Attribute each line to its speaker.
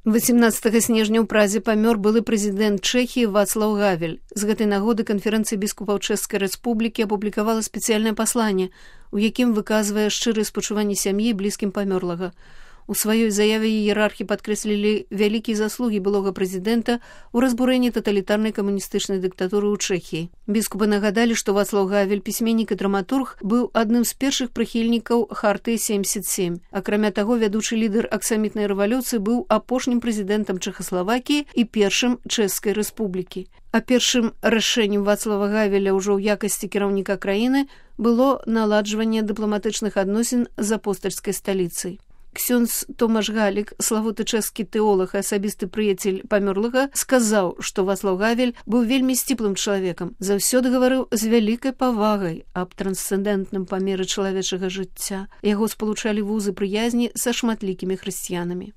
Speaker 1: 18 снежня ў Празе памёр былы прэзідэнт Чэхіі Вацлаў Гавель. З гэтай нагоды канферэнцыя біскупаў Чэшскай рэспублікі апублікавала спецыяльнае пасланне, у якім выказвае шчырыя спачуванні сям'і і блізкім памёрлага. У сваёй заяве іерархі падкрэслілі вялікія заслугі былога прэзідэнта ў разбурэнні таталітарнай камуністычнай дыктатуры ў Чэхіі. Біскупы нагадалі, што Вацлаў Гавель, пісьменнік і драматург, быў адным з першых прыхільнікаў Харты 77. Акрамя таго, вядучы лідар аксамітнай рэвалюцыі быў апошнім прэзідэнтам Чэхаславакіі і першым Чэшскай рэспублікі. А першым рашэннем Вацлава Гавеля ўжо ў якасці кіраўніка краіны было наладжванне дыпламатычных адносін з апостальскай сталіцай. Ксёндз Томаш Галік, славуты чэшскі тэолаг і асабісты прыяцель памёрлага, сказаў, што Вацлаў Гавель быў вельмі сціплым чалавекам, заўсёды гаварыў з вялікай павагай аб трансцэндэнтным памеры чалавечага жыцця. Яго спалучалі вузы прыязні са шматлікімі хрысціянамі.